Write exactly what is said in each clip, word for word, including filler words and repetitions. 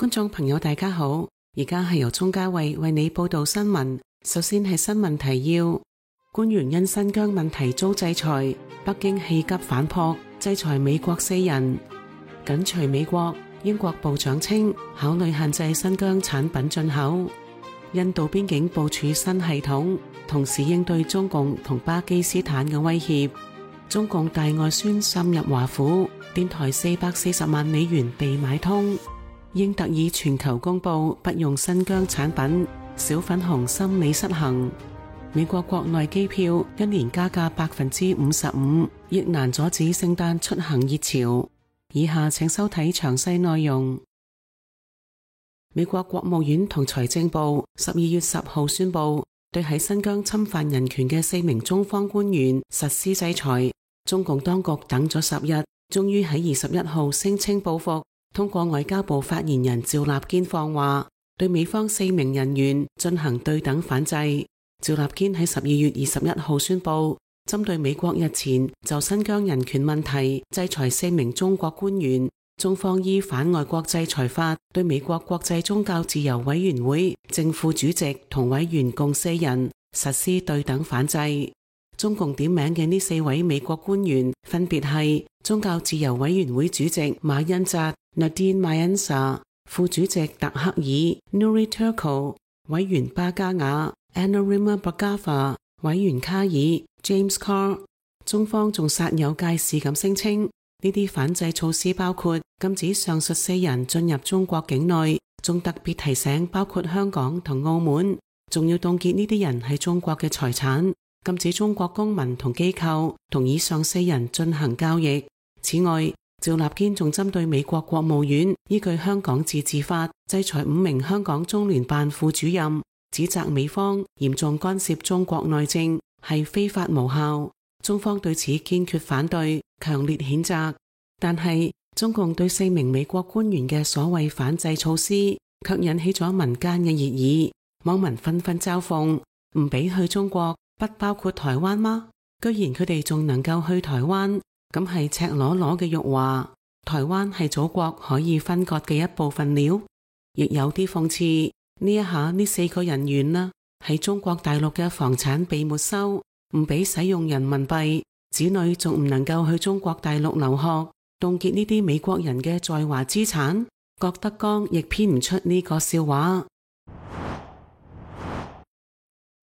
觀眾朋友大家好，而家係由鍾嘉慧為你報道新聞。首先係新聞提要：官員因新疆問題遭制裁，北京氣急反撲，制裁美國四人。緊隨美國，英國部長稱考慮限制新疆產品進口。印度邊境部署新系統，同時應對中共同巴基斯坦嘅威脅。中共大外宣深入華府，電台四百四十萬美元被買通。英特爾全球公布不用新疆產品，小粉紅心理失衡。美國國內機票一年加價百分之五十五，亦難阻止聖誕出行熱潮。以下請收睇詳細內容。美國國務院同財政部十二月十號宣布，對喺新疆侵犯人權嘅四名中方官員實施制裁。中共當局等咗十日，終於喺二十一號聲稱報復。通過外交部發言人趙立堅放話，對美方四名人員進行對等反制。趙立堅喺十二月二十一號宣布，針對美國日前就新疆人權問題制裁四名中國官員，中方依反外國制裁法對美國國際宗教自由委員會正副主席同委員共四人實施對等反制。中共點名嘅呢四位美國官員分別係宗教自由委員會主席馬恩扎 Nadine Mayanja、副主席特克爾 Nuri Turko、委員巴加雅 Anurima Bhargava、委員卡爾 James Carr。中方仲煞有介事咁聲稱，呢啲反制措施包括禁止上述四人進入中國境內，仲特別提醒包括香港同澳門，仲要凍結呢啲人係中國嘅財產，禁止中國公民同機構同以上四人進行交易。此外，趙立堅仲針對美國國務院依據香港自治法制裁五名香港中聯辦副主任，指責美方嚴重干涉中國內政，係非法無效。中方對此堅決反對，強烈譴責。但係中共對四名美國官員嘅所謂反制措施，卻引起咗民間嘅熱議。網民紛紛嘲諷：唔俾去中國，不包括台灣嗎？居然佢哋仲能夠去台灣，咁係赤裸裸嘅辱華。台灣係祖國可以分割嘅一部分了。亦有啲諷刺，呢一下呢四個人員啦，喺中國大陸嘅房產被沒收，唔俾使用人民幣，子女仲唔能夠去中國大陸留學，凍結呢啲美國人嘅在華資產。郭德綱亦編唔出呢個笑話。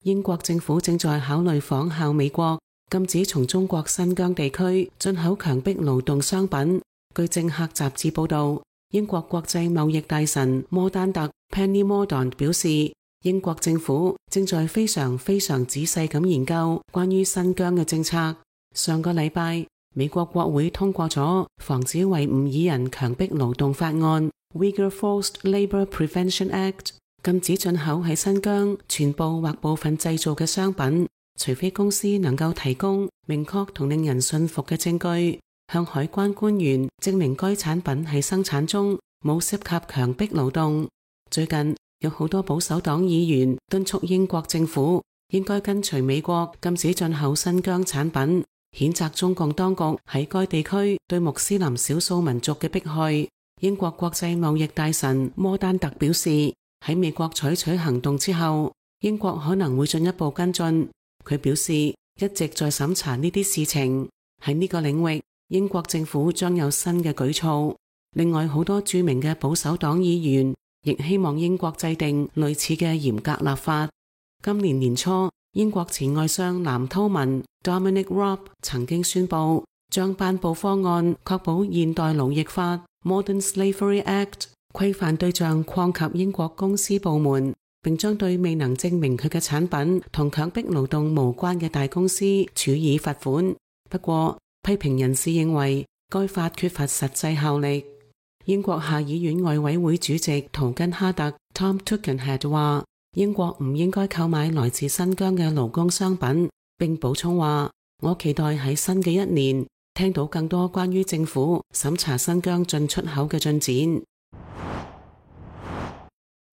英國政府正在考慮仿效美國，禁止從中國新疆地區進口強迫勞動商品。據政客雜誌報道，英國國際貿易大臣摩丹特 Penny Mordaunt 表示，英國政府正在非常非常仔細咁研究關於新疆嘅政策。上個禮拜，美國國會通過咗防止維吾爾人強迫勞動法案 Uyghur Forced Labour Prevention Act， 禁止進口喺新疆全部或部分製造嘅商品，除非公司能夠提供明確同令人信服嘅證據，向海關官員證明該產品喺生產中冇涉及強迫勞動。最近有好多保守黨議員敦促英國政府應該跟隨美國禁止進口新疆產品，譴責中共當局喺該地區對穆斯林少數民族嘅迫害。英國國際貿易大臣摩丹特表示，喺美國採取行動之後，英國可能會進一步跟進。佢表示一直在審查呢啲事情，喺呢個領域，英國政府將有新嘅舉措。另外，好多著名嘅保守黨議員亦希望英國制定類似嘅嚴格立法。今年年初，英國前外相藍韜文 Dominic Raab 曾經宣布將頒布方案，確保現代勞役法 Modern Slavery Act 規範對象擴及英國公司部門，並將對未能證明佢嘅產品同強迫勞動無關嘅大公司處以罰款。不過，批評人士認為該法缺乏實際效力。英國下議院外委會主席圖根哈特 Tom Tugendhat 話，英國唔應該購買來自新疆嘅勞工商品，並補充話，我期待喺新嘅一年聽到更多關於政府審查新疆進出口嘅進展。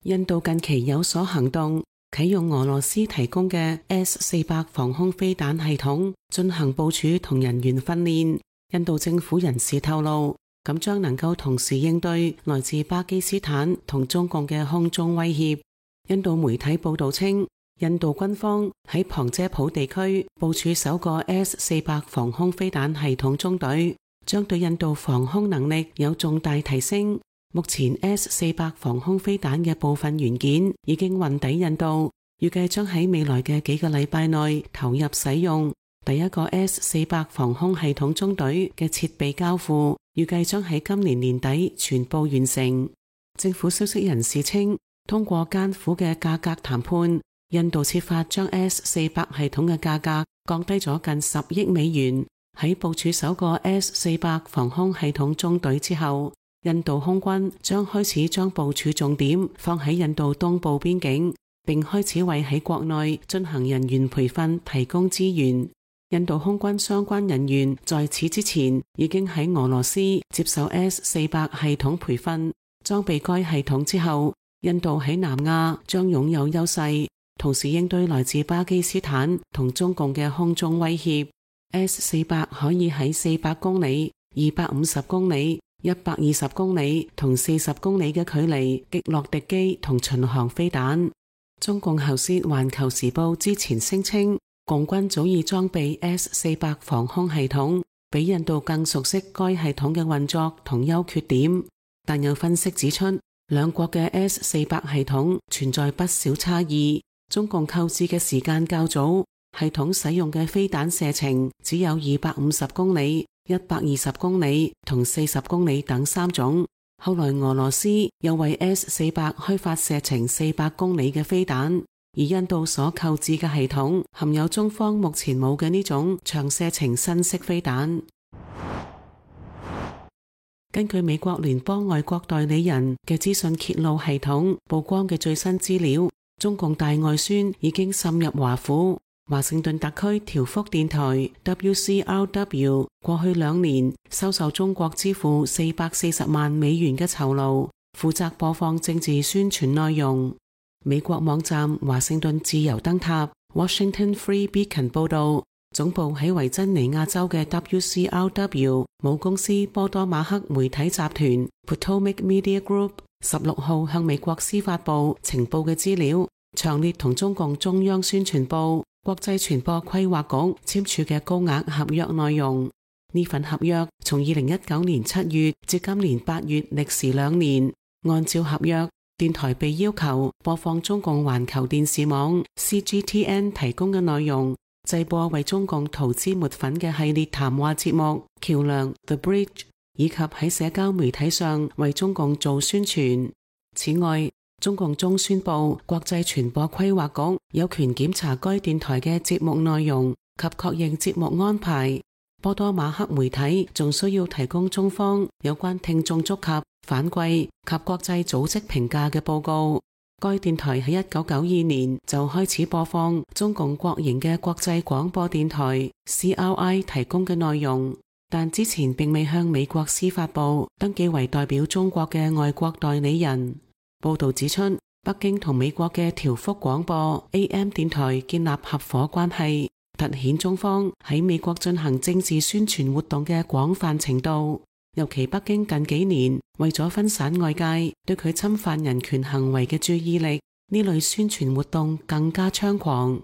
印度近期有所行動，啟用俄羅斯提供嘅 S 四百防空飛彈系統進行部署同人員訓練。印度政府人士透露，咁將能夠同時應對來自巴基斯坦同中共嘅空中威脅。印度媒體報道稱，印度軍方喺旁遮普地區部署首個 S 四百防空飛彈系統中隊，將對印度防空能力有重大提升。目前 S 四百防空飛彈嘅部分元件已經運抵印度，預計將喺未來嘅幾個禮拜內投入使用。第一個 S 四百防空系統中隊嘅設備交付，預計將喺今年年底全部完成。政府消息人士稱，通過艱苦嘅價格談判，印度設法將 S 四百系統嘅價格降低咗近十億美元。喺部署首個 S 四百防空系統中隊之後，印度空軍將開始將部署重點放喺印度東部邊境，並開始為喺國內進行人員培訓提供資源。印度空軍相關人員在此之前已經喺俄羅斯接受 S 四百系統培訓，裝備該系統之後，印度喺南亞將擁有優勢，同時應對來自巴基斯坦同中共嘅空中威脅。S 四百可以喺四百公里、二百五十公里、一百二十公里同四十公里嘅距離擊落敵機同巡航飛彈。中共喉舌環球時報之前聲稱，共軍早已裝備 S 四百防空系統，比印度更熟悉該系統嘅運作同優缺點。但有分析指出，兩國嘅 S 四百系統存在不少差異。中共購置嘅時間較早，系統使用嘅飛彈射程只有二百五十公里、一百二十公里同四十公里等三種。後來俄羅斯又為 S 四百開發射程四百公里嘅飛彈。而印度所購置嘅系統含有中方目前冇嘅呢種長射程新式飛彈。根據美國聯邦外國代理人嘅資訊揭露系統曝光嘅最新資料，中共大外宣已經滲入華府。華盛頓特區調福電台 W C R W 過去兩年收受中國支付四百四十萬美元嘅酬勞，負責播放政治宣傳內容。美國網站華盛頓自由燈塔 Washington Free Beacon 報道，總部喺維珍尼亞州嘅 W C R W 母公司波多馬克媒體集團 Potomac Media Group 十六號向美國司法部呈報嘅資料，詳列同中共中央宣傳部、國際傳播規劃局簽署嘅高額合約內容。呢份合約從二零一九年七月至今年八月歷時兩年，按照合約，電台被要求播放中共環球電視網 C G T N 提供嘅內容，製播為中共塗脂抹粉嘅系列談話節目橋樑 The Bridge， 以及喺社交媒體上為中共做宣傳。此外，中共中宣部、國際傳播規劃局有權檢查該電台嘅節目內容及確認節目安排。波多馬克媒體仲需要提供中方有關聽眾觸及、反饋及國際組織評價嘅報告。該電台喺一九九二年就開始播放中共國營嘅國際廣播電台 C R I 提供嘅內容，但之前並未向美國司法部登記為代表中國嘅外國代理人。報道指出，北京同美國嘅調福廣播 A M 電台建立合夥關係，凸顯中方喺美國進行政治宣傳活動嘅廣泛程度。尤其北京近幾年為咗分散外界對佢侵犯人權行為嘅注意力，呢類宣傳活動更加猖狂。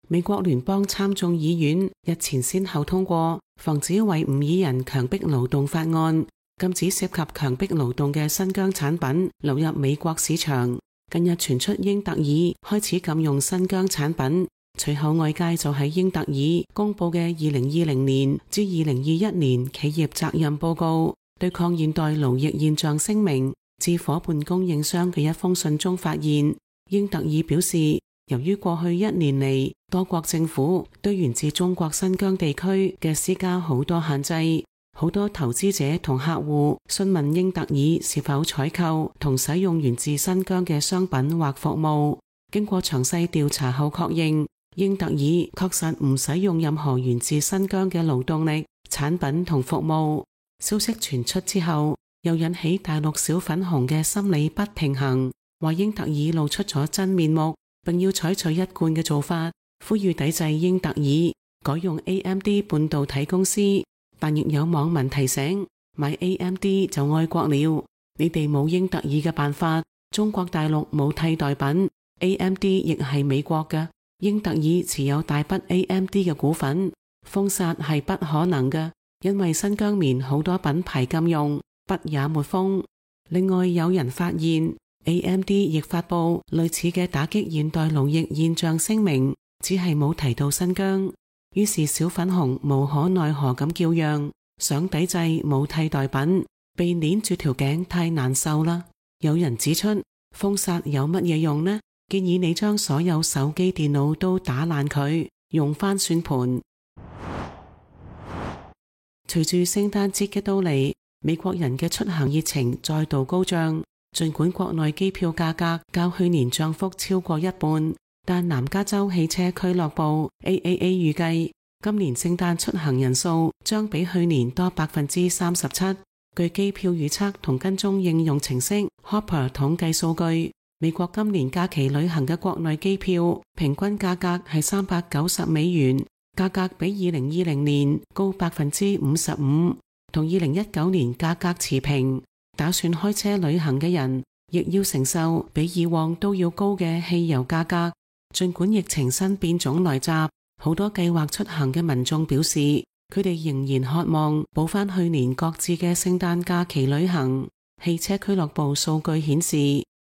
美國聯邦參眾議院日前先後通過防止維吾爾人強迫勞動法案，禁止涉及強迫勞動嘅新疆產品流入美國市場。近日傳出英特爾開始禁用新疆產品，隨後外界就喺英特爾公布嘅二零二零年至二零二一年企業責任報告對抗現代勞役現象聲明致伙伴供應商嘅一封信中發現，英特爾表示，由於過去一年嚟多國政府對源自中國新疆地區嘅施加好多限制，好多投資者同客戶詢問英特爾是否採購同使用源自新疆嘅商品或服務。經過詳細調查後確認，英特爾確實唔使用任何源自新疆嘅勞動力、產品同服務。消息傳出之後，又引起大陸小粉紅嘅心理不平衡，話英特爾露出咗真面目，並要採取一貫嘅做法，呼籲抵制英特爾，改用 A M D 半導體公司。但亦有網民提醒，買 A M D 就愛國了，你哋冇英特爾嘅辦法，中國大陸冇替代品， A M D 亦係美國嘅，英特爾持有大筆 A M D 嘅股份，封殺係不可能嘅，因為新疆棉好多品牌禁用，不也沒封。另外有人發現 A M D 亦發佈類似嘅打擊現代勞役現象聲明，只係冇提到新疆。於是小粉紅無可奈何咁叫嚷，想抵制冇替代品，被鏈住條頸太難受啦。有人指出，封殺有乜嘢用呢？建議你將所有手機電腦都打爛佢，用返算盤。隨住聖誕節嘅到嚟，美國人嘅出行熱情再度高漲，儘管國內機票價格較去年漲幅超過一半，但南加州汽車俱樂部 A A A 預計今年聖誕出行人數將比去年多百分之三十七。據機票預測同跟蹤應用程式 Hopper 統計數據，美國今年假期旅行嘅國內機票平均價格係三百九十美元，價格比二零二零年高百分之五十五，同二零一九年價格持平。打算開車旅行嘅人亦要承受比以往都要高嘅汽油價格。儘管疫情新變種來襲，好多計劃出行嘅民眾表示，佢哋仍然渴望補返去年各自嘅聖誕假期旅行。汽車俱樂部數據顯示，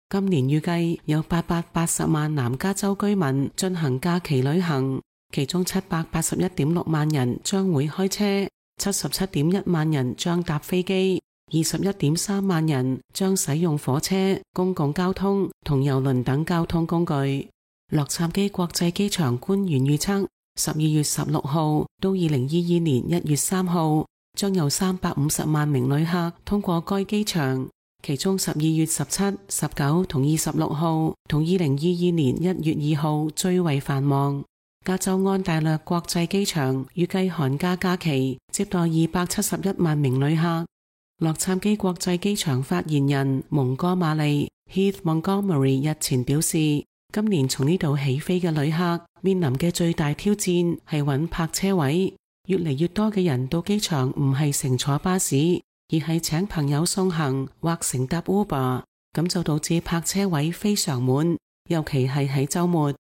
今年預計有八百八十萬南加州居民進行假期旅行，其中七百八十一點六萬人將會開車，七十七點一萬人將搭飛機，二十一點三萬人將使用火車、公共交通同郵輪等交通工具。洛杉磯國際機場官員預測，十二月十六號到二零二二年一月三號，將有三百五十萬名旅客通過該機場，其中十二月十七、十九同二十六號同二零二二年一月二號最為繁忙。加州安大略國際機場預計寒假假期接待二百七十一萬名旅客。洛杉磯國際機場發言人蒙哥馬利 Heath Montgomery 日前表示，今年從呢度起飛嘅旅客面臨嘅最大挑戰係揾泊車位，越嚟越多嘅人到機場唔係乘坐巴士，而係請朋友送行或乘搭 Uber， 咁就導致泊車位非常滿，尤其係喺週末。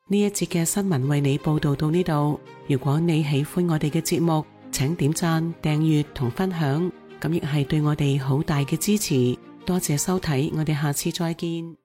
呢一節嘅新聞為你報道到呢度，如果你喜歡我哋嘅節目，請點讚、訂閱同分享，咁亦係對我哋好大嘅支持。多謝收睇，我哋下次再見。